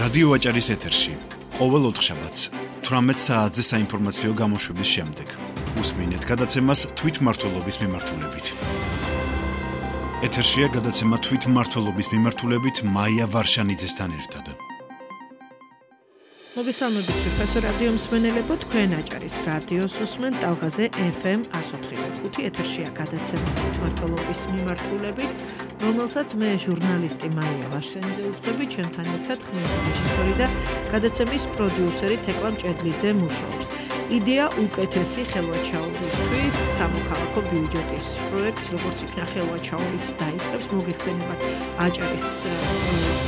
რადიო აჭარის ეთერში ყოველ ოთხშაბათს 18 საათზე საინფორმაციო გამოშვების შემდეგ უსმინეთ გადაცემას თვითმმართველობის მიმართულებით. ეთერშია გადაცემა თვითმმართველობის მიმართულებით მაია ვარშანიძესთან ერთად. მოგესალმებით სუფასო რადიო მსმენელებო, თქვენ აჭარის რადიოს უსმენთ ტალღაზე FM 104.5 ეთერშია გადაცემა თვითმმართველობის მიმართულებით, რომელსაც მე ჟურნალისტი მაია ვარშანიძე უძღვები, ჩემთან ერთად ხმის რეჟისორი და გადაცემის პროდიუსერი თეკლა მჭედლიძე მუშაობს. იდეა უკეთესი ხელვაჩაურისთვის სამოქალაქო ბიუჯეტის პროექტს, როგორც იქნა ხელვაჩაურიც დაიწყებს, მოგეხსენებათ აჭარის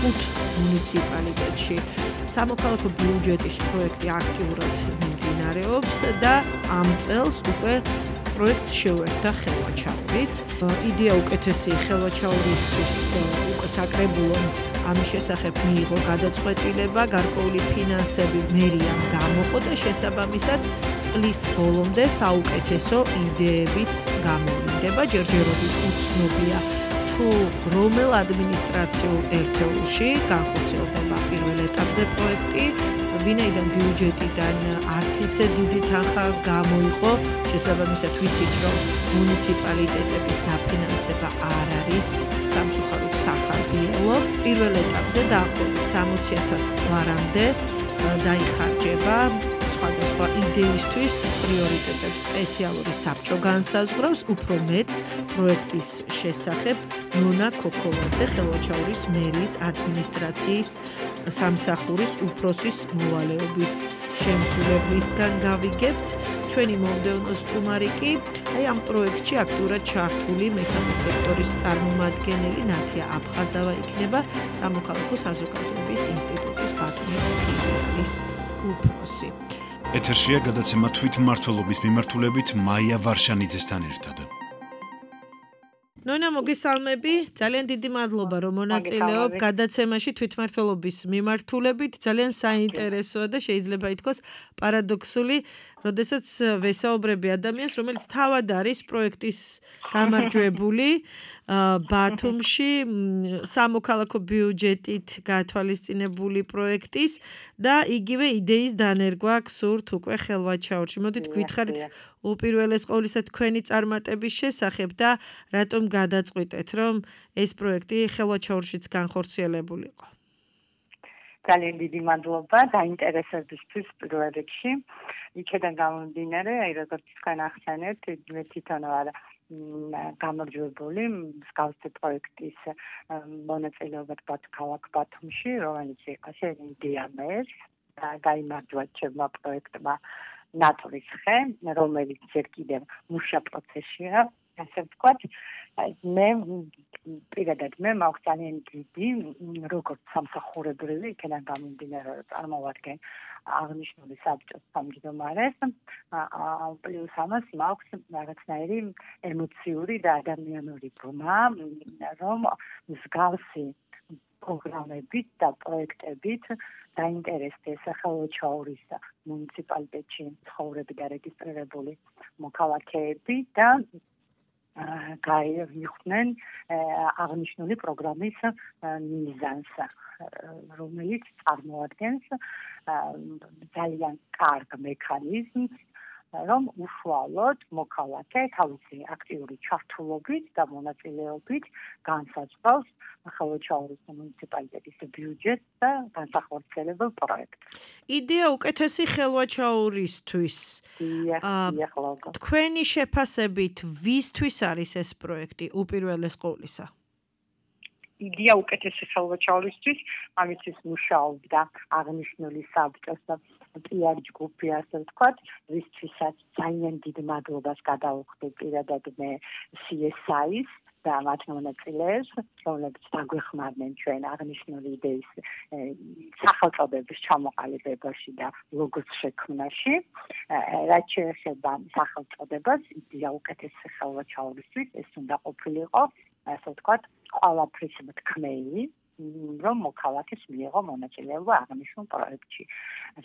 5 მუნიციპალიტეტში სამოქალაქო ბიუჯეტის პროექტი აქტიურად მიმდინარეობს და ამ წელს უკვე პროექტს შეუერთდა ხელვაჩაურიც. იდეა უკეთესი ხელვაჩაურისთვის უკვე საკრებულომ ამის შესახებ მიიღო გადაწყვეტილება, გარკვეული ფინანსები მერიამ გამოყო და შესაბამისად წლის ბოლომდე საუკეთესო იდეებიც გამოვლინდება. ჯერჯერობით უცნობია თუ რომელ ადმინისტრაციულ ერთეულში განხორციელდება პირველ ეტაპზე პროექტი, ვინაიდან ბიუჯეტიდან არც ისე დიდი თანხა გამოიყო, შესაბამისად ვიცით, რომ მუნიციპალიტეტების დაფინანსება არ არის სამწუხაროდ სახარბიელო. პირველ ეტაპზე დაახლოებით 60,000 ლარამდე დაიხარჯება სხვადასხვა იდეისთვის, პრიორიტეტებს სპეციალური საბჭო განსაზღვრავს, უფრო მეც პროექტის შესახებ ნონა ქოქოვაძე, ხელვაჩაურის მერიის ადმინისტრაციის სამსახურის უფროსის მოვალეობის შემსრულებლისგან გავიგებთ. ჩვენი მომდევნო სტუმარი კი ამ პროექტში აქტიურად ჩართული მესამე სექტორის წარმომადგენელი ნათია აფხაზავა იქნება, სამოქალაქო საზოგადოების ინსტიტუტის ბათუმის ფილიალის უფროსი. ეთერშია გადაცემა თვითმმართველობის მიმართულებით მაია ვარშანიძესთან ერთად. ნონა, მოგესალმები, ძალიან დიდი მადლობა, რომ მონაწილეობ გადაცემაში თვითმმართველობის მიმართულებით. ძალიან საინტერესოა და შეიძლება ითქვას პარადოქსული, როდესაც ვესაუბრები ადამიანს, რომელიც თავად არის პროექტის გამარჯვებული ბათუმში სამოქალაქო ბიუჯეტით გათვალისწინებული პროექტის და იგივე იდეის დანერგვა გსურთ უკვე ხელვაჩაურში. მოდით გითხარით უპირველეს ყოვლისა თქვენი წარმატების შესახებ და რატომ გადაწყვიტეთ, რომ ეს პროექტი ხელვაჩაურშიც განხორციელებულიყო. ძალიან დიდი მადლობა დაინტერესებისთვის პირველ რიგში. იქედან გამომდინარე, როგორც თქვენ ახსენეთ, მე თვითონ ვარ გამარჯვებული მსგავსი პროექტის მონაწილეობად ქალაქ ბათუმში, რომელიც იყო იდეა მერს და გაიმარჯვა ჩემმა პროექტმა ნატურის ხე, რომელიც ჯერ კიდევ მუშა პროცესია, ასე ვთქვათ. მე პირადად მაქვს ძალიან დიდი როგორც სამსახურებრივი, იქიდან გამომდინარე, წარმოვადგენ აღნიშნული საბჭოს თავმჯდომარეს, პლუს ამას მაქვს რაღაცნაირი ემოციური და ადამიანური ბმა, რომ მსგავსი პროგრამებით და პროექტებით დაინტერესდეს ხელვაჩაურის მუნიციპალიტეტში ცხოვრები და რეგისტრირებული მოქალაქეები და გაიხვდნენ აღნიშნული პროგრამის მიზანს, რომელიც წარმოადგენს ძალიან კარგ მექანიზმს, რომ უშუალოდ მოქალაქე თავისი აქტიური ჩართულობით და მონაწილეობით განსაზღვრავს ხელვაჩაურის მუნიციპალიტეტის ბიუჯეტს და განსახორციელებელ პროექტს. იდეა უკეთესი ხელვაჩაურისთვის. თქვენი შეფასებით, ვისთვის არის ეს პროექტი უპირველეს ყოვლისა? იდეა უკეთესი ხელვაჩაურისთვის, ამისთვის მუშაობდა აღნიშნული საბჭოს და PR ჯგუფი, ასე ვთქვათ, ვისთვისაც ძალიან დიდ მადლობას გადავუხდი პირადად მე CSI-ს და მათ მონაწილეებს, რომლებიც დაგვეხმარნენ ჩვენ აღნიშნული იდეის სახელწოდების ჩამოყალიბებაში და ლოგოს შექმნაში. რაც შეეხება სახელწოდებას, იდეა უკეთესი ხელვაჩაურისთვის, ეს უნდა ყოფილიყო, ასე ვთქვათ, ყველაფრის მთქმელი, რომ მოქალაქეს მიიღო მონაწილეობა აღნიშნულ პროექტში.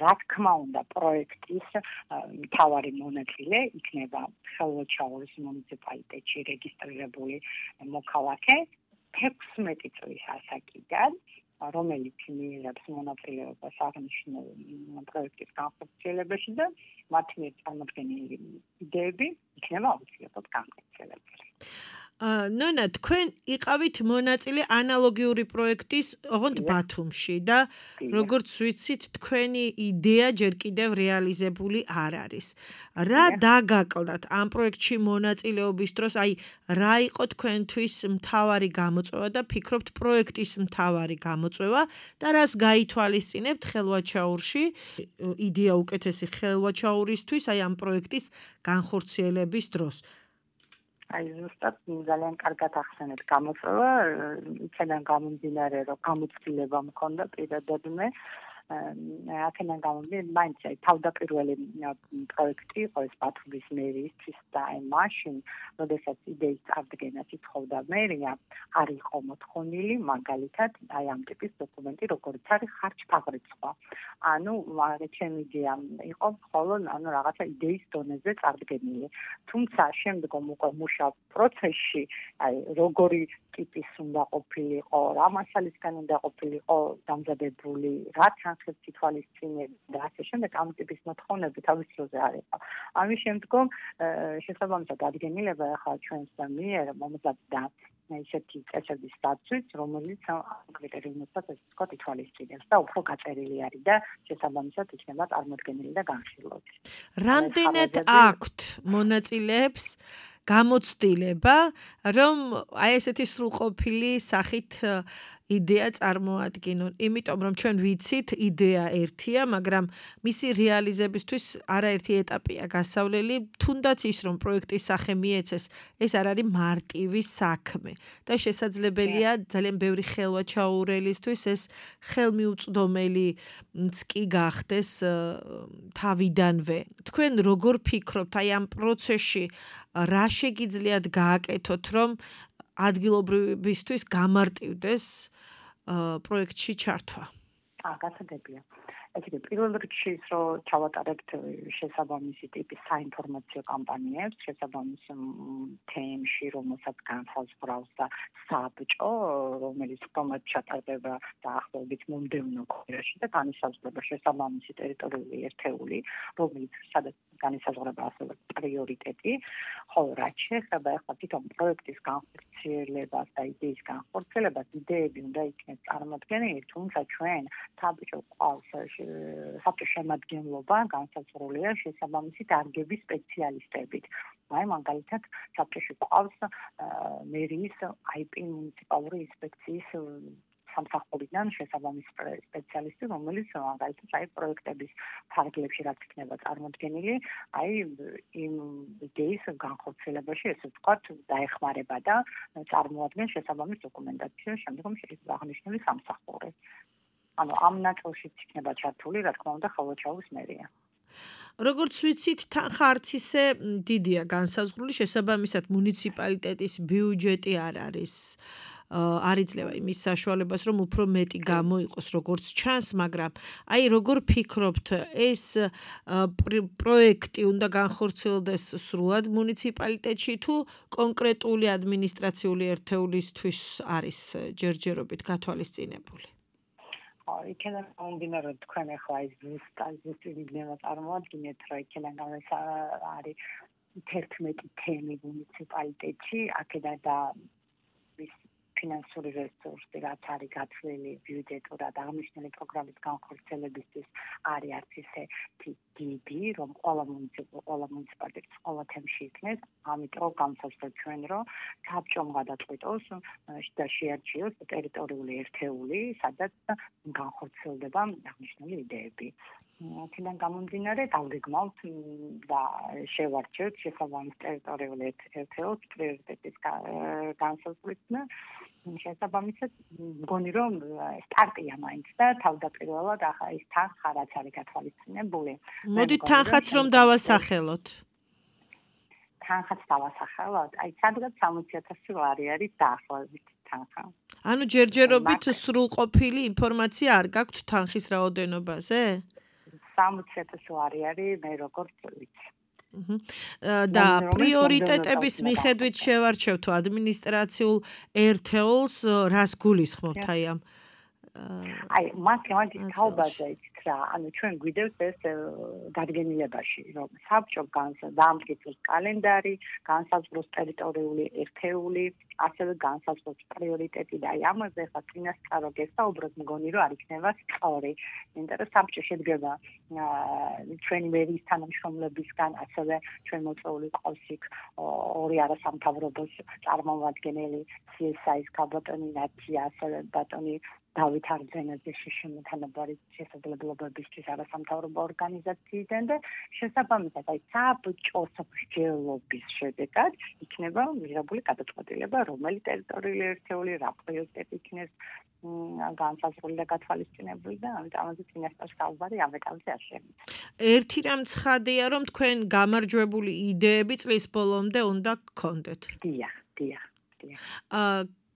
რა თქმა უნდა, პროექტის მთავარი მონაწილე იქნება ხელვაჩაურის მუნიციპალიტეტში რეგისტრირებული მოქალაქე 16 წლის ასაკიდან რომელიც მიიღებს მონაწილეობას აღნიშნულ პროექტის განხორციელებაში და მათ მიერ წარმოქმნილი იდეები იქნება აუცილებლად განხორციელებული. ნონა, თქვენ იყავით მონაწილე ანალოგიური პროექტის ოღონდ ბათუმში და როგორც ვიცით, თქვენი იდეა ჯერ კიდევ რეალიზებული არ არის. რა დაგაკლდათ ამ პროექტში მონაწილეობის დროს, აი რა იყო თქვენთვის მთავარი გამოწვევა და ფიქრობთ პროექტის მთავარი გამოწვევა და რას გაითვალისწინებთ ხელვაჩაურში, იდეა უკეთესი ხელვაჩაურისთვის, აი ამ პროექტის განხორციელების დროს. აი ზუსტად ძალიან კარგად ახსენეთ გამოწვევა, იქიდან გამომდინარე, რომ გამოცდილება მქონდა პირადად მე აქედან გამომდინარე, მაინც თავდაპირველი პროექტი იყო ეს ბათუმის მერიის და მაშინ, როდესაც იდეის წარდგენას ითხოვდა მერია, არ იყო მოთხოვნილი მაგალითად აი ამ ტიპის დოკუმენტი, როგორც არის ხარჯ-ფაბრიცხვა. ანუ ჩემი იდეა იყო მხოლოდ რაღაცა იდეის დონეზე წარდგენილი. თუმცა შემდგომ უკვე მუშაობ პროცესში, აი როგორი ტიპის უნდა ყოფილიყო, რა მასალისგან უნდა ყოფილიყო დამზადებული, რა თანხებს ითვალისწინებდა და ასე შემდეგ ამ ტიპის მოთხოვნები თავის დროზე არ იყო. ამის შემდგომ შესაბამისად დადგენილება ახლა ჩვენს მიერ მომზადდა ისეთი წესების დაცვით, რომელიც კრიტერიუმებსაც ესე ვთქვათ ითვალისწინებს და უფრო გაწერილი არის და შესაბამისად იქნება წარმოდგენილი და განხილული. რამდენად აქვთ მონაწილეებს გამოცდილება, რომ აი ესეთი სრულყოფილი სახით იდეა წარმოადგინონ, იმიტომ რომ ჩვენ ვიცით იდეა ერთია, მაგრამ მისი რეალიზებისთვის არაერთი ეტაპია გასავლელი, თუნდაც ის რომ პროექტის სახე მიეცეს, ეს არ არის მარტივი საქმე და შესაძლებელია ძალიან ბევრი ხელვაჩაურელისთვის ეს ხელმიუწვდომელიც კი გახდეს თავიდანვე. თქვენ როგორ ფიქრობთ აი ამ პროცესში რა შეგიძლიათ გააკეთოთ, რომ ადგილობრივისთვის გამარტივდეს პროექტში ჩართვა? გასაგებია. ეთიკე პირველ რიგში ის რომ ჩავატარებთ შესაბამისი ტიპის საინფორმაციო კამპანიებს, შესაბამის თემში, რომელსაც განსაზღვრავს და საბჭო, რომელიც პრომოთ ჩატარდება დაახლოებით მომდევნო კვირაში და განისაზღვრება შესაბამისი ტერიტორიული ერთეული, რომელიც სადაც განისაზღვრება ასევე პრიორიტეტი, ხოლო რაც შეეხება ახლა თვითონ პროექტის განხორციელებას და იდეის განხორციელებას, იდეები უნდა იქნეს წარმოდგენილი, თუმცა ჩვენ საბჭო ყავს საბჭო შემადგენლობა განსაზღვრულია შესაბამისი დარგების სპეციალისტებით. აი მაგალითად საბჭოში ყავს მერიის IP მუნიციპალური ინსპექციის სამსახურიდან შესაბამისი სპეციალისტი, რომელიც მაგალითად აი პროექტების ფარგლებში რაც იქნება წარმოდგენილი, აი იმ იდეის განხორციელებაში ესე ვთქვათ დაეხმარება და წარმოადგენს შესაბამის დოკუმენტაციას შემდგომ შეიძლება აღნიშნული სამსახური. ანუ ამ ნაწილშიც იქნება ჩართული, რა თქმა უნდა, ხელვაჩაურის მერია. როგორც ვიცით, თანხა არც ისე დიდია განსაზღვრული, შესაბამისად მუნიციპალიტეტის ბიუჯეტი არ არის. არ იძლევა იმის საშუალებას, რომ უფრო მეტი გამოიყოს, როგორც ჩანს, მაგრამ აი როგორ ფიქრობთ, ეს პროექტი უნდა განხორციელდეს სრულად მუნიციპალიტეტში თუ კონკრეტული ადმინისტრაციული ერთეულისთვის არის ჯერჯერობით გათვალისწინებული? იქიდან გამომდინარე, რომ თქვენ ახლა ის ზუსტად იდეა წარმოადგინეთ, რომ იქიდან არის 11 თემი მუნიციპალიტეტში, აქედან და ფინანსური რესურსი, რაც არის გათვლილი ბიუჯეტურად აღნიშნული პროგრამის განხორციელებისთვის არის არც ისე დიდი, რომ ყველა მუნიციპალიტეტის ყველა თემში იქნეს, ამიტომ განსაზღვრეთ ჩვენ, რომ საბჭომ გადაწყვიტოს და შეარჩიოს ტერიტორიული ერთეული, სადაც განხორციელდება აღნიშნული იდეები. აქედან გამომდინარე, გავგეგმავთ და შევარჩევთ შესაბამის ტერიტორიული ერთეულს პრიორიტეტის განსაზღვრით და შესაბამისად მგონი რომ სტარტია მაინც და თავდაპირველად ახლა ის თანხა რაც არის გათვალისწინებული. მოდით თანხაც რომ დავასახელოთ. თანხაც დავასახელოთ. აი სადღაც 60,000 ლარი არის დაახლოებით თანხა. ანუ ჯერჯერობით სრულყოფილი ინფორმაცია არ გაქვთ თანხის რაოდენობაზე? 60,000 ლარი არის მე როგორც ვიცი. და პრიორიტეტების მიხედვით შევარჩევთ ადმინისტრაციულ ერთეულს, რას გულისხმობთ აი ამ აი მათემატიკის თაობაზე იცით რა ანუ ჩვენ გვიდევთ ეს დადგენილებაში რომ საბჭო დაამტკიცოს კალენდარი განსაზღვროს ტერიტორიული ერთეული ასევე განსაზღვროს პრიორიტეტი და აი ამაზე ხა წინასწარო გესაუბროთ მგონი რომ არ იქნება სწორი იმიტომ რომ საბჭო შედგება ჩვენი მერის თანამშრომლებისგან ასევე ჩვენ მოწვეული ყავს იქ ორი არასამთავრობოს წარმომადგენელი CSI-ის ქალბატონი ნათია ასევე ბატონი დავით არძენაძე შემოთანაბარი შესაძლებლობებისთვის არასამთავრობო ორგანიზაციიდან და შესაბამისად აი საბჭოს მსჯელობის შედეგად იქნება მიღებული გადაწყვეტილება რომელი ტერიტორიული ერთეული რა პრიორიტეტი იქნეს განსაზღვრული და გათვალისწინებული და ამაზე წინასწარ საუბარი ამ ეტაპზე არ შემიძლია. ერთი რამ ცხადია რომ თქვენ გამარჯვებული იდეები წლის ბოლომდე უნდა გქონდეთ. დიახ.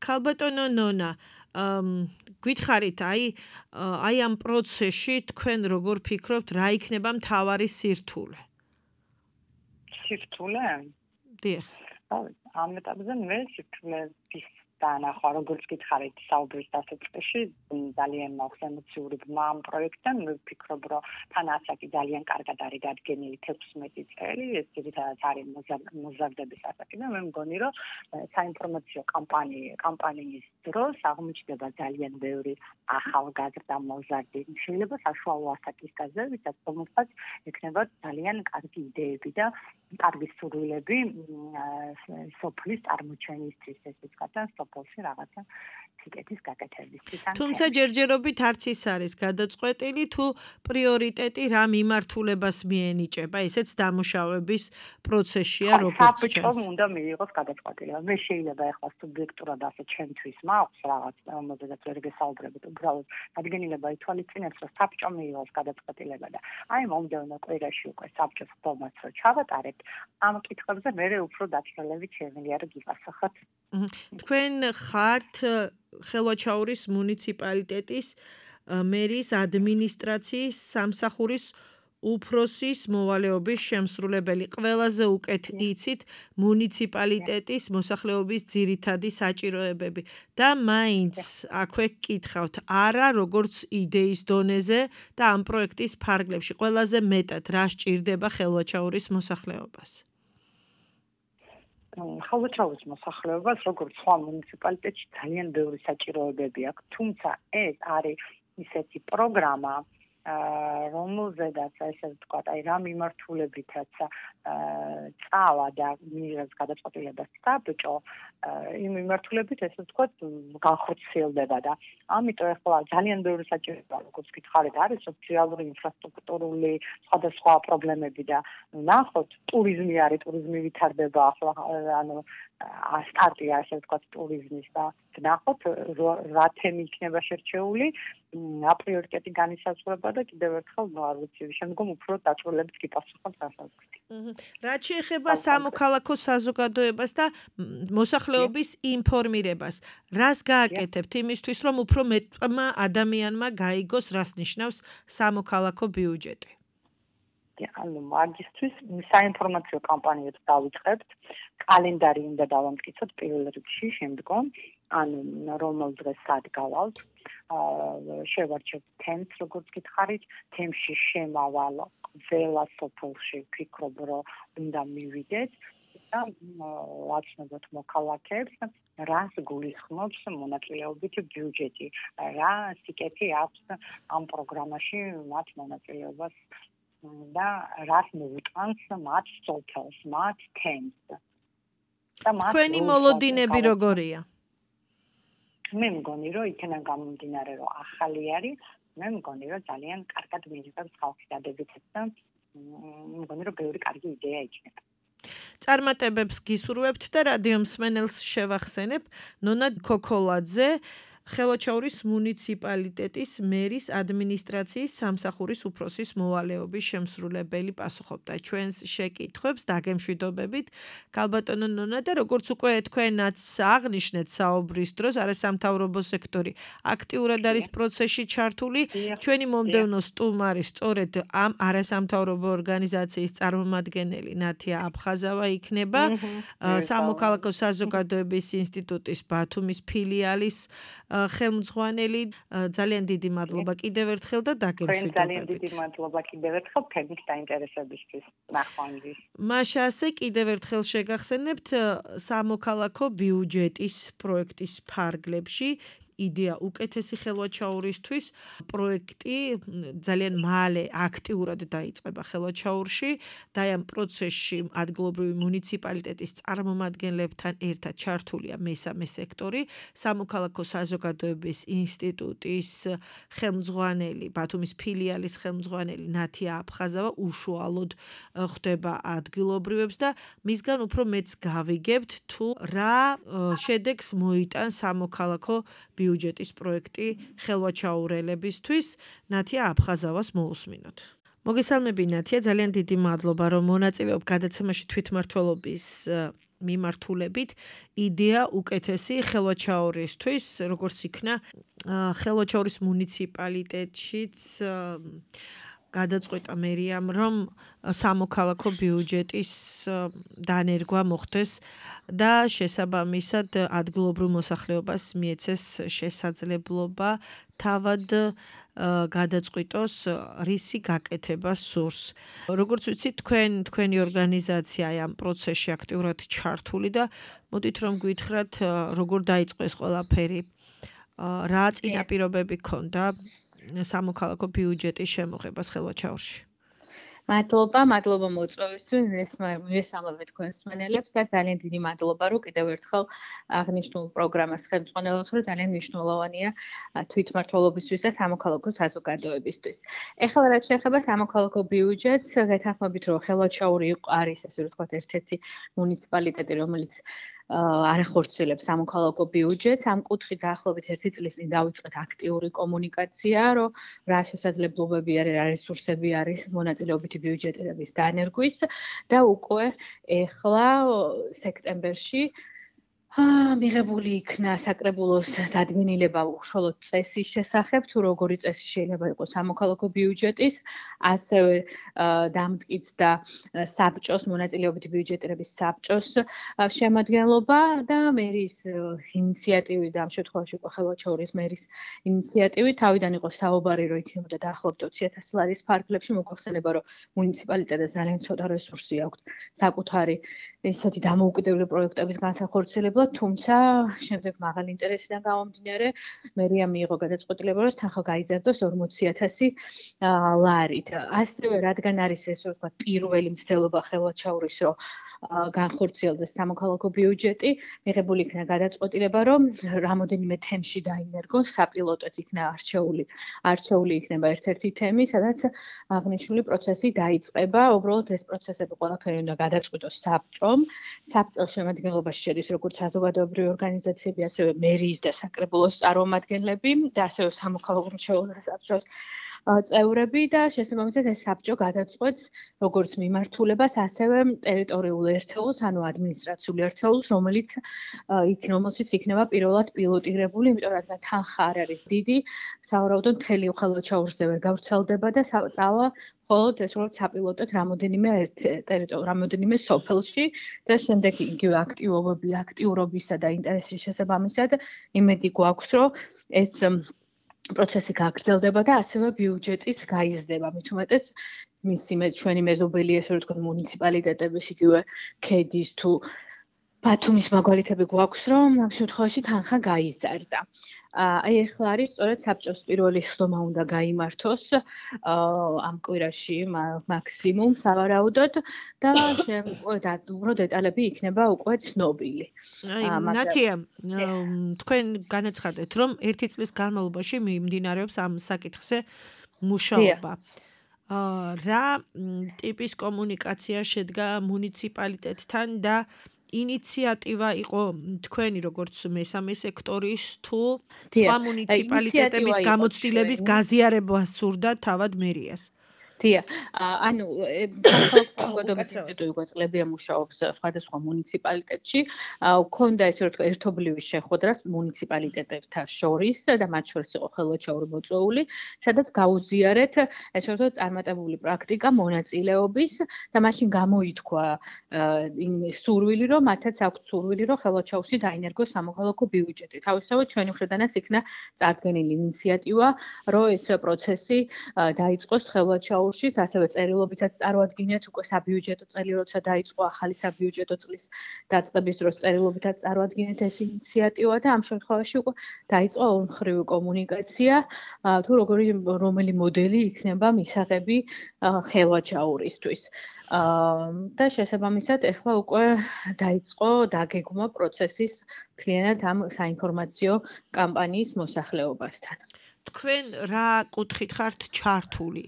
ქალბატონო ნონა გითხარით აი ამ პროცესში თქვენ როგორ ფიქრობთ რა იქნება მთავარი სირთულე? სირთულე? დიახ. ამ ეტაპზე მე სირთულეების დაანახვა როგორც გითხარით საუბრის დასაწყისში ძალიან მაქვს ემოციური ბმა ამ პროექტთან მე ვფიქრობ რომ თან ასაკი ძალიან კარგად არის დადგენილი 16 წელი ეს ძირითადად არის მოზარდების ასაკი და მე მგონი რომ საინფორმაციო კამპანიის დროს აღმოჩნდება ძალიან ბევრი ახალგაზრდა მოზარდი შეიძლება საშუალო ასაკის გაზრდა ვისაც რომელსაც ექნება ძალიან კარგი იდეები და კარგი სურვილები სოფლის წარმოჩენისთვის ეს კაცთან სოფელში რაღაცა სიკეთის გაკეთებისთვის. თუმცა ჯერჯერობით არც ის არის გადაწყვეტილი თუ პრიორიტეტი რა მიმართულებას მიენიჭება, ესეც დამუშავების პროცესშია როგორც ჩანს. საბჭომ უნდა მიიღოს გადაწყვეტილება. მე შეიძლება ეხლა სუბიექტურად ასე ჩემთვის მაქვს რაღაც რომელზეც ვერ გესაუბრებით, უბრალოდ დადგენილება ითვალისწინებს, რომ საბჭომ მიიღოს გადაწყვეტილება და აი მომდევნო კვირაში უკვე საბჭოს ხდომაც რო ჩავატარებთ, ამ კითხვებზე მე უფრო დაწვრილებით შემიძლია რომ გიპასუხოთ. თქვენ ხართ ხელვაჩაურის მუნიციპალიტეტის მერის ადმინისტრაციის სამსახურის უფროსის მოვალეობის შემსრულებელი. ყველაზე უკეთ იცით მუნიციპალიტეტის მოსახლეობის ძირითადი საჭიროებები და მაინც აქვე გკითხავთ არა როგორც იდეის დონეზე და ამ პროექტის ფარგლებში ყველაზე მეტად რა სჭირდება ხელვაჩაურის მოსახლეობას. ხელვაჩაურის მოსახლეობას როგორც სხვა მუნიციპალიტეტში ძალიან ბევრი საჭიროებები აქვს, თუმცა ეს არის ისეთი პროგრამა, რომელზედაც ესე ვთქვათ, აი რა მიმართულებითაც წავა და მიიღებს გადაწყვეტილებას საბჭო, იმ მიმართულებით ესე ვთქვათ, განხორციელდება და ამიტომ ახლა ძალიან ბევრი საჭიროება, როგორც გითხარით, არის სოციალური ინფრასტრუქტურული სხვადასხვა პრობლემები და ნახოთ, ტურიზმი არის, ტურიზმი ვითარდება ახლა, ანუ სტარტია ასე ვთქვათ ტურიზმის და ნახოთ რა თემი იქნება შერჩეული, აპრიორიტეტი განისაზღვრება და კიდევ ერთხელ არ ვიცი, შემდგომ უფრო დაწვრილებით გიპასუხოთ გასაგებად. რაც შეეხება სამოქალაქო საზოგადოებას და მოსახლეობის ინფორმირებას, რას გააკეთებთ იმისთვის, რომ უფრო მეტმა ადამიანმა გაიგოს, რას ნიშნავს სამოქალაქო ბიუჯეტი? ანუ მაგისთვის საინფორმაციო კამპანიებს დავიწყებთ, კალენდარი უნდა დავამტკიცოთ პირველ რიგში, შემდგომ ანუ რომელ დღეს სად გავალთ, შევარჩევთ თემს, როგორც გითხარით, თემში შემავალ ყველა სოფელში ვფიქრობ, რომ უნდა მივიდეთ და ვაცნობოთ მოქალაქეებს, რას გულისხმობს მონაწილეობითი ბიუჯეტი, რა სიკეთი აქვს ამ პროგრამაში მათ მონაწილეობას და რას მოუტანს მათ სოფელს, მათ თემს. თქვენი მოლოდინები როგორია? მე მგონი, რომ იქიდან გამომდინარე, რომ ახალი არის, მე მგონი, რომ ძალიან კარგად მიიღებს ხალხი დადებითებს და მგონი, რომ ბევრი კარგი იდეა იქნება. წარმატებებს გისურვებთ და რადიო მსმენელს შევახსენებ, ნონა ქოქოლაძე ხელვაჩაურის მუნიციპალიტეტის მერის ადმინისტრაციის სამსახურის უფროსის მოვალეობის შემსრულებელი პასუხობდა ჩვენს შეკითხვებს დაგემშვიდობებით. ქალბატონო ნონა და როგორც უკვე თქვენაც აღნიშნეთ საუბრის დროს, არასამთავრობო სექტორი აქტიურად არის პროცესში ჩართული. ჩვენი მომდევნო სტუმარი სწორედ ამ არასამთავრობო ორგანიზაციის წარმომადგენელი ნათია აფხაზავა იქნება, სამოქალაქო საზოგადოების ინსტიტუტის ბათუმის ფილიალის ხელმძღვანელი, ძალიან დიდი მადლობა კიდევ ერთხელ და დაგემშვიდობებით. ძალიან დიდი მადლობა კიდევ ერთხელ თემის დაინტერესებისთვის. ნახვამდის. მაშა ასე კიდევ ერთხელ შეგახსენებთ სამოქალაქო ბიუჯეტის პროექტის ფარგლებში იდეა უკეთესი ხელვაჩაურისთვის პროექტი ძალიან მალე აქტიურად დაიწყება ხელვაჩაურში და ამ პროცესში ადგილობრივი მუნიციპალიტეტის წარმომადგენლებთან ერთად ჩართულია მესამე სექტორი, სამოქალაქო საზოგადოების ინსტიტუტის ხელმძღვანელი, ბათუმის ფილიალის ხელმძღვანელი ნათია აფხაზავა უშუალოდ ხვდება ადგილობრივებს და მისგან უფრო მეც გავიგებთ თუ რა შედეგს მოიტანს სამოქალაქო ბიუჯეტის პროექტი ხელვაჩაურელებისთვის. ნათია აფხაზავას მოусმინოთ. მოგესალმები ნათია, ძალიან დიდი მადლობა რომ მონაწილეობ გადაცემაში თვითმმართველობის მიმართულებით იდეა უკეთესი ხელვაჩაურისთვის, როგორც იქნა ხელვაჩაურის მუნიციპალიტეტშიც გადაწყვეტა მერიამ რომ სამოქალაქო ბიუჯეტის დანერგვა მოხდეს და შესაბამისად ადგილობრივ მოსახლეობას მიეცეს შესაძლებლობა თავად გადაწყვიტოს რისი გაკეთება სურს. როგორც ვიცით, თქვენი ორგანიზაცია ამ პროცესში აქტიურად ჩართული და მოდით რომ გითხრათ როგორ დაიწყო ეს ყველაფერი, რა წინაპირობები ჰქონდა სამოქალაქო ბიუჯეტის შემოღებას ხელვაჩაურში. მადლობა მოწვევისთვის, მივესალმებით თქვენს მსმენელებს და ძალიან დიდი მადლობა, რომ კიდევ ერთხელ აღნიშნულ პროგრამას ხელმძღვანელობთ, რომ ძალიან მნიშვნელოვანია თვითმმართველობისთვის და სამოქალაქო საზოგადოებისთვის. ეხლა რაც შეეხება სამოქალაქო ბიუჯეტს, გეთანხმებით, რომ ხელვაჩაური არის, ასე ვთქვათ, ერთ-ერთი მუნიციპალიტეტი, რომელიც არ ახორციელებს სამოქალაქო ბიუჯეტს. ამ კუთხით დაახლოებით 1 წლის წინ დავიწყეთ აქტიური კომუნიკაცია, რომ რა შესაძლებლობები არის, რა რესურსები არის მონაწილეობითი ბიუჯეტების დანერგვის და უკვე ეხლა სექტემბერში მიღებული იქნა საკრებულოს დადგენილება უშუალოდ წესის შესახებ, თუ როგორი წესი შეიძლება იყოს სამოქალაქო ბიუჯეტის, ასევე დამტკიცდა საბჭოს, მონაწილეობითი ბიუჯეტების საბჭოს შემადგენლობა და მერის ინიციატივით, ამ შემთხვევაში იყო ხელვაჩაურის მერის ინიციატივით, თავიდან იყო საუბარი, რომ იქნებოდა დაახლოებით 20,000 ლარის ფარგლებში, მოგახსენება, რომ მუნიციპალიტეტს ძალიან ცოტა რესურსი აქვს საკუთარი ისეთი დამოუკიდებელი პროექტების განსახორციელებლად, თუმცა შემდეგ მაღალი ინტერესიდან გამომდინარე, მერია მიიღო გადაწყვეტილება, რომ თანხა გაიზარდოს 40,000 ლარით. ასევე რადგან არის ეს, რომ ვთქვათ, პირველი მცდელობა ხელვაჩაურის, რომ განხორციელდეს სამოქალაქო ბიუჯეტი, მიღებული იქნა გადაწყვეტილება, რომ რამოდენიმე თემში დაინერგოს, საპილოტოდ იქნა არჩეული იქნება ერთ-ერთი თემი, სადაც აღნიშნული პროცესი დაიწყება. უბრალოდ ეს პროცესები ყველაფერი უნდა გადაწყვიტოს საბჭომ. საბჭოს შემადგენლობაში შედის როგორც საზოგადოებრივი ორგანიზაციები, ასევე მერიის და საკრებულოს წარმომადგენლები და ასევე სამოქალაქო მრჩეველთა საბჭოს წევრები და შესაბამისად ეს საბჭო გადაწყვეტს როგორც მიმართულებას, ასევე ტერიტორიულ ერთეულს, ანუ ადმინისტრაციულ ერთეულს, რომელშიც იქნება პირველად პილოტირებული, იმიტომ რომ თანხა არ არის დიდი, სავარაუდოდ მთელი ხელვაჩაურზე ვერ გავრცელდება და წავა მხოლოდ ეს როგორც საპილოტოდ რამოდენიმე სოფელში და შემდეგ იგივე აქტიურობისა და ინტერესის შესაბამისად იმედი გვაქვს, რომ ეს პროცესი გაგრძელდება და ასევე ბიუჯეტიც გაიზრდება. მით უმეტეს ჩვენი მეზობელი, ესე ვთქვათ, მუნიციპალიტეტების, იგივე ქედის თუ ბათუმის მაგალითები გვაქვს, რომ ამ შემთხვევაში თანხა გაიზარდა. აი ახლა არის სწორედ საბჭოს პირველი სხდომა უნდა გაიმართოს ამ კვირაში მაქსიმუმ სავარაუდოდ და უფრო დეტალები იქნება უკვე ცნობილი. აი ნათია, თქვენ განაცხადეთ, რომ 1 წლის განმავლობაში მიმდინარეობს ამ საკითხზე მუშაობა. რა ტიპის კომუნიკაცია შედგა მუნიციპალიტეტთან და ინიციატივა იყო თქვენი როგორც მესამე სექტორის თუ სხვა მუნიციპალიტეტების გამოცდილების გაზიარება სურდა თავად მერიას? დია, ანუ საზოგადოების ინსტიტუტი უკვე წლებია მუშაობს სხვადასხვა მუნიციპალიტეტში, ქონდა ესე ვთქვა ერთობლივი შეხვედრა მუნიციპალიტეტებთან შორის და მათ შორის იყო ხელვაჩაური მოწვეული, სადაც გაუზიარეთ ესე ვთქვა წარმატებული პრაქტიკა მონაწილეობის და მაშინ გამოითქვა იმ სურვილი, რომ მათაც აქვთ სურვილი, რომ ხელვაჩაურში დაინერგოს სამოქალაქო ბიუჯეტი. თავისთავად ჩვენი მხრიდანაც იქნა წარდგენილი ინიციატივა, რომ ეს პროცესი დაიწყოს ხელვაჩაურში, ასევე წერილობითაც წარუადგინეთ უკვე საბიუჯეტო წელი, როცა დაიწყო ახალი საბიუჯეტო წლის დაწყების დროს წერილობითაც წარუადგინეთ ეს ინიციატივა და ამ შემთხვევაში უკვე დაიწყო ორმხრივი კომუნიკაცია, თუ რომელი მოდელი იქნება მისაღები ხელვაჩაურისთვის. და შესაბამისად ეხლა უკვე დაიწყო დაგეგმვა პროცესის მთლიანად ამ საინფორმაციო კამპანიის მოსახლეობასთან. თქვენ რა კუთხით ხართ ჩართული?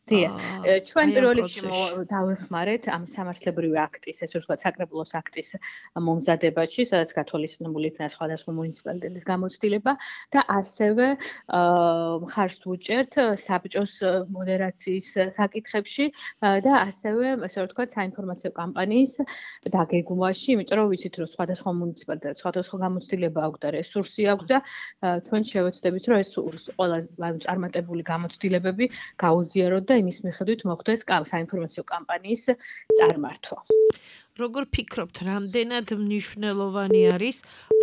დია, ჩვენ პირველ რიგში დავეხმარეთ ამ სამართლებრივი აქტის, ესე ვთქვათ, საკრებულოს აქტის მომზადებაში, სადაც გათვალისწინებული იქნა სხვადასხვა მუნიციპალიტეტის გამოცდილება და ასევე მხარს ვუჭერთ საბჭოს მოდერაციის საკითხებში და ასევე, ესე ვთქვათ, საინფორმაციო კამპანიის დაგეგმვაში, იმიტომ რომ ვიცით, რომ სხვადასხვა მუნიციპალიტეტს სხვადასხვა გამოცდილება აქვს და რესურსი აქვს და ჩვენ შევეცდებით, რომ ეს ყველა წარმატებული გამოცდილებები გაუზიაროთ და იმის მიხედვით მოხდეს საინფორმაციო კამპანიის წარმართვა. როგორ ფიქრობთ, რამდენად მნიშვნელოვანი არის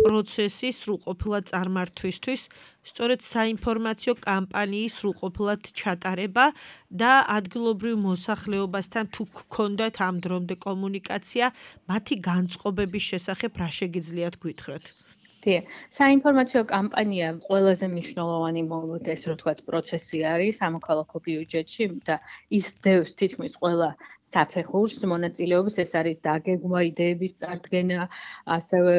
პროცესის სრულყოფილად წარმართვისთვის, სწორედ საინფორმაციო კამპანიის სრულყოფილად ჩატარება და ადგილობრივ მოსახლეობასთან თუ გქონდათ ამ დრომდე კომუნიკაცია, მათი განწყობების შესახებ რა შეგიძლიათ გითხრათ? დია, საინფორმაციო კამპანია ყველაზე მნიშვნელოვანი ესე ვთქვათ პროცესი არის სამოქალაქო ბიუჯეტში და ის დევს თითქმის ყველა საფეხურს მონაწილეობის, ეს არის დაგეგმვა, იდეების წარდგენა, ასევე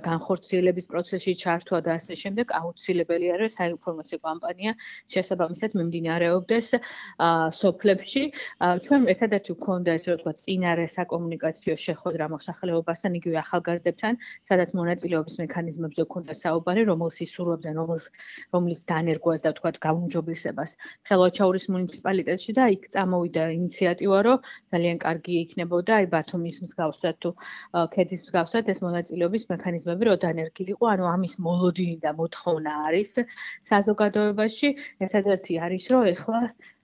განხორციელების პროცესში ჩართვა და ასე შემდეგ. აუცილებელია, რომ საინფორმაციო კამპანია შესაბამისად მიმდინარეობდეს სოფლებში. ჩვენ ერთადერთი გვქონდა ესე ვთქვათ წინარე საკომუნიკაციო შეხვედრა მოსახლეობასთან, იგივე ახალგაზრდებთან, სადაც მონაწილეობის მექანიზმებზე გვქონდა საუბარი, რომელს ისურვებდნენ, რომლის დანერგვას და ვთქვათ გაუმჯობესებას ხელვაჩაურის მუნიციპალიტეტში და იქ წამოვიდა ინიციატივა, რომ ძალიან კარგი იქნებოდა აი ბათუმის მსგავსად თუ ქედის მსგავსად ეს მონაწილეობის მექანიზმები რო დანერგილიყო, ანუ ამის მოლოდინი და მოთხოვნა არის საზოგადოებაში. ერთადერთი არის, რომ ეხლა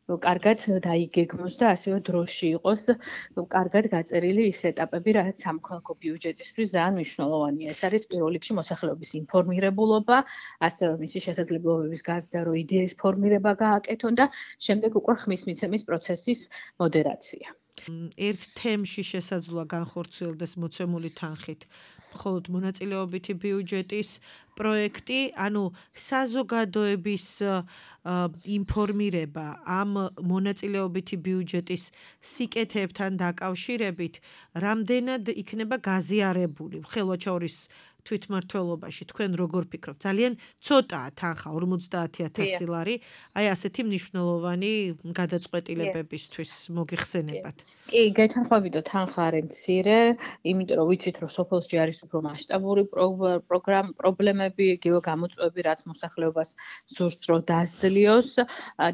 კარგად დაიგეგმოს და ასევე დროში იყოს კარგად გაწერილი ის ეტაპები, რაც სამოქალაქო ბიუჯეტისთვის ძალიან მნიშვნელოვანია. ეს არის პირველ რიგში მოსახლეობის ინფორმირებულობა, ასევე მისი შესაძლებლობების გაზრდა, რომ idеის ფორმირება გააკეთონ და შემდეგ უკვე ხმის მიცემის პროცესის მოდერაცია. ერთ თემში შესაძლოა განხორციელდეს მოცემული თანხით მხოლოდ მონაწილეობითი ბიუჯეტის პროექტი, ანუ საზოგადოების ინფორმირება ამ მონაწილეობითი ბიუჯეტის სიკეთეებთან დაკავშირებით რამდენად იქნება გაზიარებული ხელვაჩაურის თვითმმართველობაში, თქვენ როგორ ფიქრობთ? ძალიან ცოტაა თანხა 50,000 ლარი, აი ასეთი მნიშვნელოვანი გადაწყვეტილებებისთვის მოგიხსენებათ. კი, გეთანხმებიდო თანხა არის მცირე, იმიტომ რომ ვიცით, რომ სოფელში არის უფრო მასშტაბური პრობლემები, იგივე გამოწვევები, რაც მოსახლეობას სურს რომ დაასწლიოს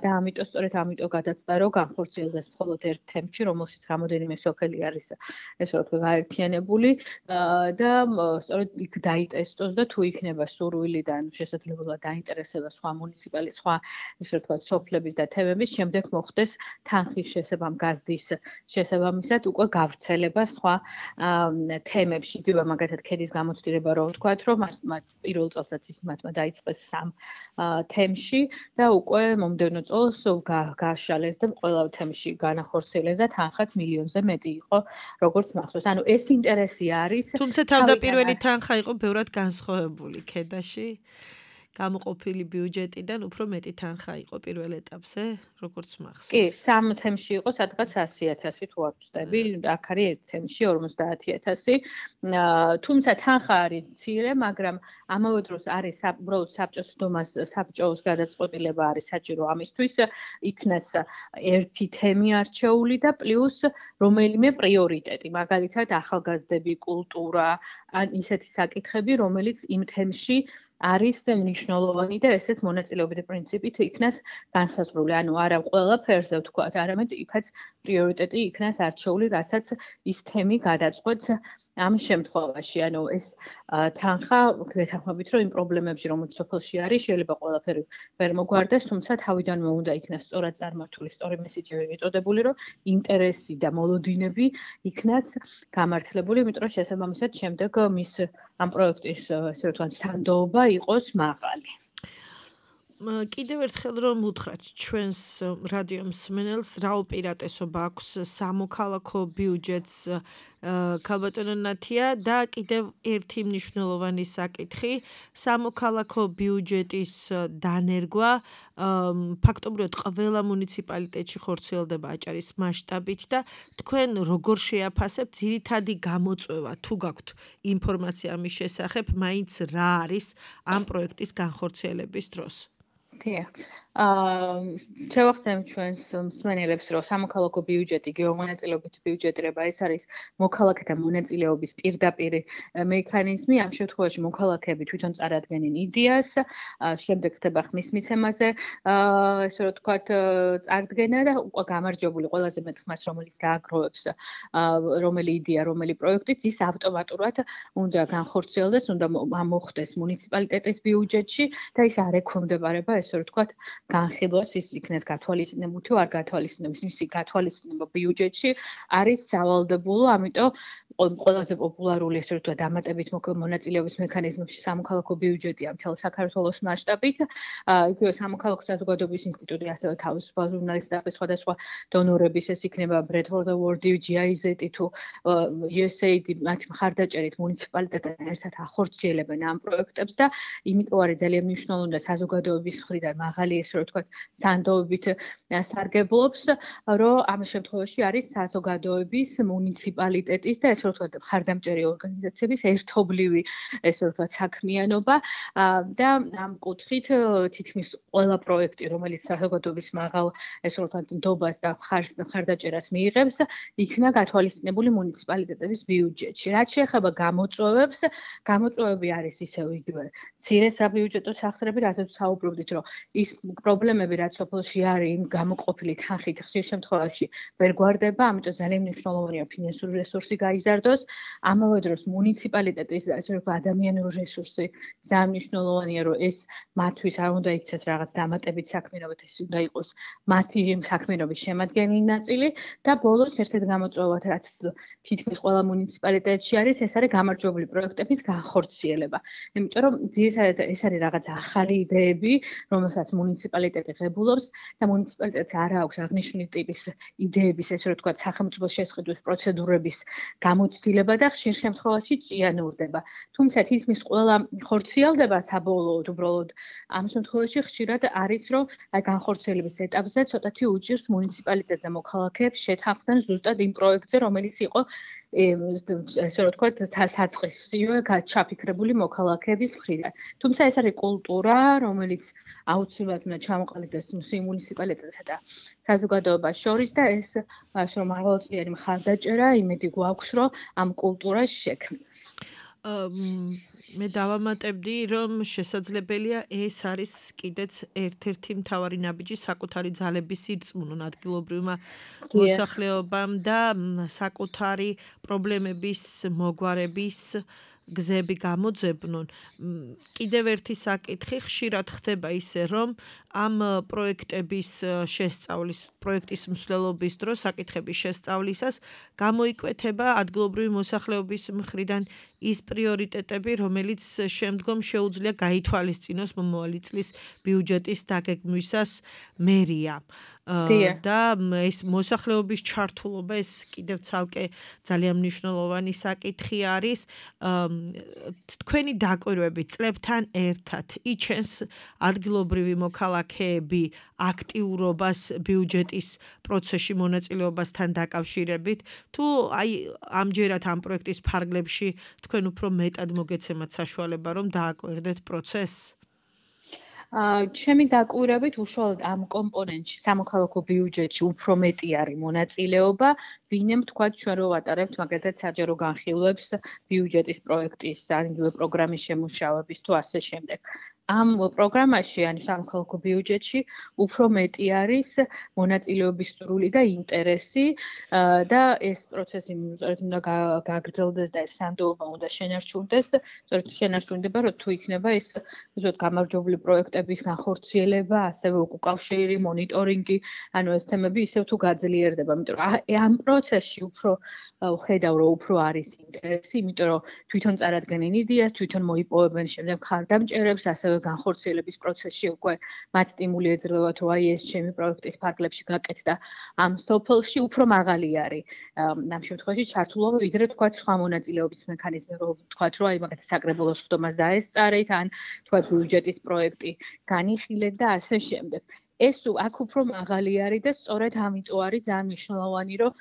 და ამიტომ სწორედ ამიტომ გადაწყდა, რომ განხორციელდეს მხოლოდ ერთ თემში, რომელშიც რამოდენიმე სოფელი არის, ესე ვთქვათ, გაერთიანებული და სწორედ იქ დაიტესტოს და თუ იქნება სურვილი და შესაძლებლობა დაინტერესება სხვა მუნიციპალიტეტის, სხვა ესე ვთქვათ, სოფლების და თემების, შემდეგ მოხდეს თანხის შესაბამ გაზრდის შესაბამისად უკვე გავრცელება სხვა თემებში. იგივე მაგათად ქედის გამოცდილება რო ვთქვათ, რომ მათ პირველ წელსაც ის მათმა დაიწყეს 3 თემში და უკვე მომდევნო წელს გააშალეს და ყველა თემში განახორციელეს და თანხაც მილიონზე მეტი იყო, როგორც მახსოვს. ანუ ეს ინტერესი არის. თუმცა თავდაპირველი თანხა იყო ბევრად განსხვავებული ქედაში. გამოყოფილი ბიუჯეტიდან უფრო მეტი თანხა იყო პირველ ეტაპზე, როგორც მახსოვს. კი, 3 თემში იყო სადღაც 100,000 თუ არ ვწდები, აქ არის ერთ თემში 50,000. თუმცა თანხა არის მცირე, მაგრამ ამავე დროს არის უბრალოდ საბჭოს დომას საბჭოს გადაწყვეტილება არის საჭირო ამისთვის, იქნას ერთი თემი არჩეული და პლუს რომელიმე პრიორიტეტი, მაგალითად ახალგაზრდები, კულტურა, ან ისეთი საკითხები, რომელიც იმ თემში არის მნიშვნელოვანი და ესეც მონაწილეობითი პრინციპით იქნას განსაზღვრული. ანუ არა ყველაფერზე ვთქვათ, არამედ იქაც პრიორიტეტი იქნას არჩეული, რასაც ის თემი გადაწყვეტს ამ შემთხვევაში. ანუ ეს თანხა გეთანხმებით, რომ იმ პრობლემებში, რომელიც სოფელში არის, შეიძლება ყველაფერი ვერ მოგვარდეს, თუმცა თავიდანვე უნდა იქნას სწორად წარმართული, სწორი მესიჯები მიწოდებული, რომ ინტერესი და მოლოდინები იქნას გამართლებული, იმიტომ რომ შესაბამისად შემდეგ მის ამ პროექტის, ესე ვთქვათ, სანდოობა იყოს მაღალი. კიდევ ერთხელ რომ უთხრათ ჩვენს რადიო მსმენელს, რა უპირატესობა აქვს სამოქალაქო ბიუჯეტს ქალბატონო ნათია და კიდევ ერთი მნიშვნელოვანი საკითხი, სამოქალაქო ბიუჯეტის დანერგვა ფაქტობრივად ყველა მუნიციპალიტეტში ხორციელდება აჭარის მასშტაბით და თქვენ როგორ შეაფასებთ ძირითადი გამოწვევა, თუ გაქვთ ინფორმაცია ამის შესახებ, მაინც რა არის ამ პროექტის განხორციელების დროს? შევახსენებ ჩვენს მსმენელებს, რომ სამოქალაქო ბიუჯეტი, გეომონაწილეობით ბიუჯეტირება, ეს არის მოქალაქეთა მონაწილეობის პირდაპირ მექანიზმი. ამ შემთხვევაში მოქალაქეები თვითონ წარადგენენ იდეას, შემდეგ ხდება ხმის მიცემაზე, ესე რომ ვთქვათ, წარდგენა და უკვე გამარჯვებული ყველაზე მეტ ხმას, რომელიც გააგროვებს რომელი იდეა, რომელი პროექტიც, ის ავტომატურად უნდა განხორციელდეს, უნდა მოხდეს მუნიციპალიტეტის ბიუჯეტში და ის არ ექვემდებარება, ესე რომ ვთქვათ, განხილვას ის იქნეს გათვალისწინებული თუ არ გათვალისწინებს, მისი გათვალისწინება ბიუჯეტში არის სავალდებულო, ამიტომ ყველაზე პოპულარული ესე ვთქვათ დამატებით მონაწილეობის მექანიზმებში სამოქალაქო ბიუჯეტია მთელ საქართველოს მასშტაბით. იგივე სამოქალაქო საზოგადოების ინსტიტუტი ასევე თავისუფალ ჟურნალისტების სხვადასხვა დონორების ეს იქნება Bradford Award, GIZ თუ USAID მათი მხარდაჭერით მუნიციპალიტეტთან ერთად ახორციელებენ ამ პროექტებს და იმიტომ არის ძალიან მნიშვნელოვანი და საზოგადოების მხრიდან მაღალი ესე ვთქვათ სანდოებით სარგებლობს, რომ ამ შემთხვევაში არის საზოგადოების მუნიციპალიტეტის და ესე ვთქვათ მხარდამჭერი ორგანიზაციების ერთობლივი ესე ვთქვათ საქმიანობა და ამ კუთხით თითქმის ყველა პროექტი, რომელიც საზოგადოების მაღალ ესე ვთქვათ ნდობას და მხარდაჭერას მიიღებს, იქნა გათვალისწინებული მუნიციპალიტეტების ბიუჯეტში. რაც შეეხება გამოწვევებს, გამოწვევები არის ისევ იგივე მცირე საბიუჯეტო სახსრები, რაზეც საუბრობდით, რომ ის პრობლემები, რაც სოფელში არის, იმ გამოყოფილი თანხით ხშირ შემთხვევაში ვერ გვარდება, ამიტომ ძალიან მნიშვნელოვანია ფინანსური რესურსი გაიზარდოს. ამავე დროს მუნიციპალიტეტის ასე ვთქვათ ადამიანური რესურსი ძალიან მნიშვნელოვანია, რომ ეს მათთვის არ უნდა იქცეს რაღაც დამატებით საქმიანობად, ეს უნდა იყოს მათი საქმიანობის შემადგენელი ნაწილი და ბოლოს ერთ-ერთი გამოწვევად, რაც თითქმის ყველა მუნიციპალიტეტში არის, ეს არის გამარჯვებული პროექტების განხორციელება. იმიტომ რომ ძირითადად ეს არის რაღაც ახალი იდეები, რომელსაც მუნიციპალიტეტი ღებულობს და მუნიციპალიტეტს არ აქვს აღნიშნული ტიპის იდეების, ესე რომ ვთქვათ, სახელმწიფო შესყიდვის პროცედურების გამოცდილება და ხშირ შემთხვევაში ჭიანურდება. თუმცა თითქმის ყველა ხორციელდება საბოლოოდ უბრალოდ ამ შემთხვევაში ხშირად არის, რომ აი განხორციელების ეტაპზე ცოტათი უჭირს მუნიციპალიტეტს და მოქალაქეებს შეთანხმდნენ ზუსტად იმ პროექტზე, რომელიც იყო ესე რომ ვთქვათ, საწყისივე ჩაფიქრებული მოქალაქეების მხრიდან. თუმცა ეს არის კულტურა, რომელიც აუცილებლად უნდა ჩამოყალიბდეს მუნიციპალიტეტსა და საზოგადოებას შორის და ეს ასე რომ მაღალწლიანი მხარდაჭერა იმედი გვაქვს, რომ ამ კულტურას შექმნის. მე დავამატებდი, რომ შესაძლებელია ეს არის კიდეც ერთ-ერთი მთავარი ნაბიჯი საკუთარი ძალების სირწმუნონ ადგილობრივმა მოსახლეობამ და საკუთარი პრობლემების მოგვარების გზები გამოძებნონ. კიდევ ერთი საკითხი ხშირად ხდება ისე, რომ ამ პროექტების შესწავლის, პროექტის მსვლელობის დროს საკითხების შესწავლისას გამოიკვეთება ადგილობრივი მოსახლეობის მხრიდან ის პრიორიტეტები, რომელიც შემდგომ შეუძლია გაითვალისწინოს მომავალი წლის ბიუჯეტის დაგეგმვისას მერიამ. და ეს მოსახლეობის ჩართულობა ეს კიდევ ცალკე ძალიან მნიშვნელოვანი საკითხი არის. თქვენი დაკვირვები წლებთან ერთად იჩენს ადგილობრივი მოქალაქეები აქტიურობას ბიუჯეტის პროცესში მონაწილეობასთან დაკავშირებით, თუ აი ამჯერად ამ პროექტის ფარგლებში თქვენ უფრო მეტად მოგეცემათ საშუალება, რომ დააკვირდეთ პროცესს? ჩემი დაკვირვებით უშუალოდ ამ კომპონენტში სამოქალაქო ბიუჯეტში უფრო მეტი არის მონაწილეობა, ვინემ თქვა ჩვენ რო ვატარებთ მაგალითად საჯარო განხილვებს ბიუჯეტის პროექტის ან იგივე პროგრამის შემუშავების თუ ასე შემდეგ. ამ პროგრამაში, ანუ სამოქალაქო ბიუჯეტში, უფრო მეტი არის მონაწილეობის სურვილი და ინტერესი და ეს პროცესი სწორედ უნდა გაგრძელდეს და ეს სანდოობა უნდა შენარჩუნდეს. სწორედ შენარჩუნდება, რომ თუ იქნება ეს უბრალოდ გამარჯვებული პროექტების განხორციელება, ასევე უკავშირი, მონიტორინგი, ანუ ეს თემები ისევ თუ გაძლიერდება, იმიტომ რომ ამ პროცესში უფრო ხედავ, რომ უფრო არის ინტერესი, იმიტომ რომ თვითონ წარადგენენ იდეას, თვითონ მოიპოვებენ შემდეგ მხარდამჭერებს, ასევე განხორციელების პროცესში უკვე მათ სტიმული ეძლევათ, რომ აი ეს ჩემი პროექტის ფარგლებში გაკეთდა ამ სოფელში უფრო მაღალი არის ამ შემთხვევაში ჩართულობა, ვიდრე თქვათ სხვა მონაწილეობის მექანიზმი, რომ თქვათ, რომ აი მაგათი საკრებულოს ხდომას დაესწარეთ, ან თქვათ ბიუჯეტის პროექტი განიხილეთ და ასე შემდეგ. ეს აქ უფრო მაღალი არის და სწორედ ამიტომ არის ძალიან მნიშვნელოვანი, რომ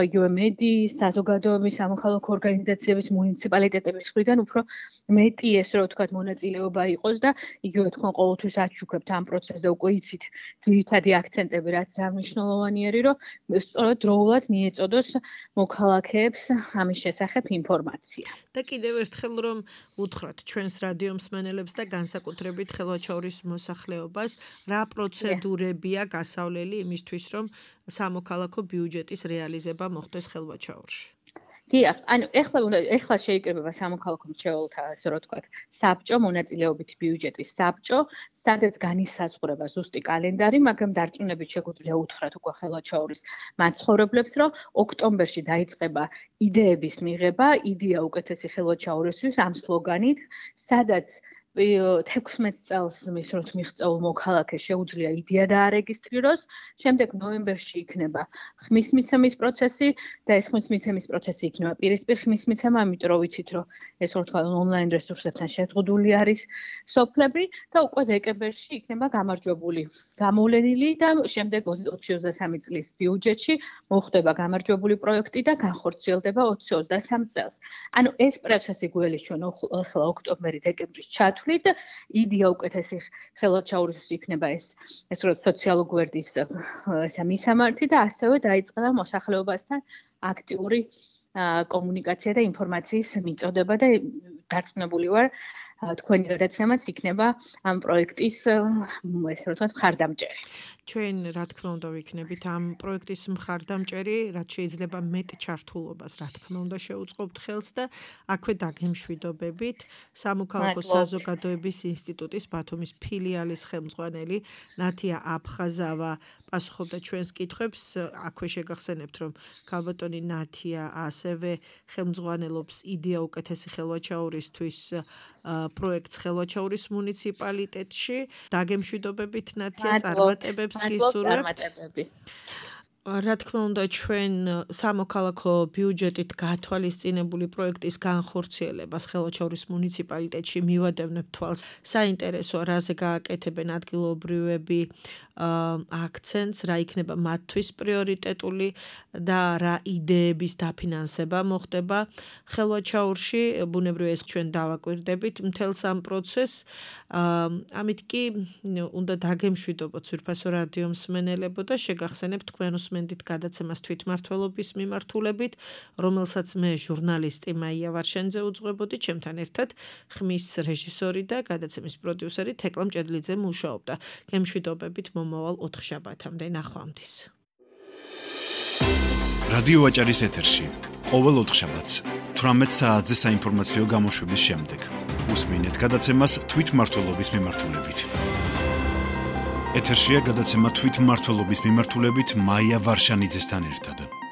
იგივე მედიის, საზოგადოების, სამოქალაქო ორგანიზაციების, მუნიციპალიტეტების მხრიდან უფრო მეტი ეს რო ვთქვათ მონაწილეობა იყოს და იგივე თქვენ ყოველთვის აჩუქებთ ამ პროცესზე უკვე იცით ძირითადი აქცენტები, რაც ძალიან მნიშვნელოვანი არის, რომ სწორედ დროულად მიეწოდოს მოქალაქეებს ამის შესახებ ინფორმაცია. და კიდევ ერთხელ რომ უთხრათ ჩვენს რადიო მსმენელებს და განსაკუთრებით ხელვაჩაურის მოსახლეობას, რა პროცედურებია გასავლელი იმისთვის, რომ სამოქალაქო ბიუჯეტის რეალიზება მოხდეს ხელვაჩაურში. დიახ, ანუ ეხლა შეიკრიბება სამოქალაქო მრჩეველთა, ასე რომ ვთქვათ, საბჭო მონაწილეობით ბიუჯეტის საბჭო, სადაც განისაზღვრება ზუსტი კალენდარი, მაგრამ დარწმუნებით შეგვიძლია უთხრათ უკვე ხელვაჩაურის მაცხოვრებლებს, რომ ოქტომბერში დაიწყება იდეების მიღება, იდეა უკეთესი ხელვაჩაურისთვის ამ სლოგანით, სადაც 16 წელს მისროთ მიღწეულ მოქალაქეს შეუძლია იდეა დაარეგისტრიროს, შემდეგ ნოემბერში იქნება ხმისმიცემის პროცესი და ეს ხმისმიცემის პროცესი იქნება პირისპირ ხმისმიცემა, ამიტომ რომ ვიცით, რომ ეს ვთქვათ ონლაინ რესურსებთან შეზღუდული არის სოფლები და უკვე დეკემბერში იქნება გამარჯვებული გამოვლენილი და შემდეგ 2023 წლის ბიუჯეტში მოხდება გამარჯვებული პროექტი და განხორციელდება 2023 წელს. ანუ ეს პროცესი გველის ჩვენ ახლა ოქტომბერი-დეკემბრის ჩათვლით იდეა უკეთესი ხელვაჩაურისთვის იქნება ეს რო სოციალურ გვერდის მისამართი და ასევე დაიწყება მოსახლეობასთან აქტიური კომუნიკაცია და ინფორმაციის მიწოდება და დარწმუნებული ვარ თქვენი გადაცემაც იქნება ამ პროექტის ესე რომ ვთქვათ მხარდამჭერი. ჩვენ რა თქმა უნდა ვიქნებით ამ პროექტის მხარდამჭერი, რაც შეიძლება მეტ ჩართულობას რა თქმა უნდა შეუწყობთ ხელს და აქვე დაგემშვიდობებით სამოქალაქო საზოგადოების ინსტიტუტის ბათუმის ფილიალის ხელმძღვანელი ნათია აფხაზავა პასუხობდა ჩვენს კითხვებს. აქვე შეგახსენებთ, რომ ქალბატონი ნათია ასევე ხელმძღვანელობს იდეა უკეთესი ხელვაჩაურისთვის პროექტს ხელვაჩაურის მუნიციპალიტეტში. დაგემშვიდობებით ნათია, წარმატებებს გისურვებთ. რა თქმა უნდა ჩვენ სამოქალაქო ბიუჯეტით გათვალისწინებული პროექტის განხორციელებას ხელვაჩაურის მუნიციპალიტეტში მივადევნებ თვალს. საინტერესოა რაზე გააკეთებენ ადგილობრივები აქცენტს, რა იქნება მათთვის პრიორიტეტული და რა იდეების დაფინანსება მოხდება ხელვაჩაურში. ბუნებრივია ეს ჩვენ დავაკვირდებით მთელს ამ პროცესს. ამით კი უნდა დაგემშვიდობოთ ძვირფასო რადიო მსმენელებო და შეგახსენებთ თქვენ უსმენდით გადაცემას თვითმმართველობის მიმართულებით, რომელსაც მე ჟურნალისტი მაია ვარშენიძე უძღვებოდი, ჩემთან ერთად ხმის რეჟისორი და გადაცემის პროდიუსერი თეკლა მჭედლიძე მუშაობდა. გემშვიდობებით მომავალ 4 შაბათამდე ნახვამდის. რადიო ვაჭარის ეთერში ყოველ 4 შაბათს 18 საათზე საინფორმაციო გამოშვების შემდეგ უსმინეთ გადაცემას თვითმმართველობის მიმართულებით. ეთერშია გადაცემა თვითმმართველობის მიმართულებით მაია ვარშანიძესთან ერთად.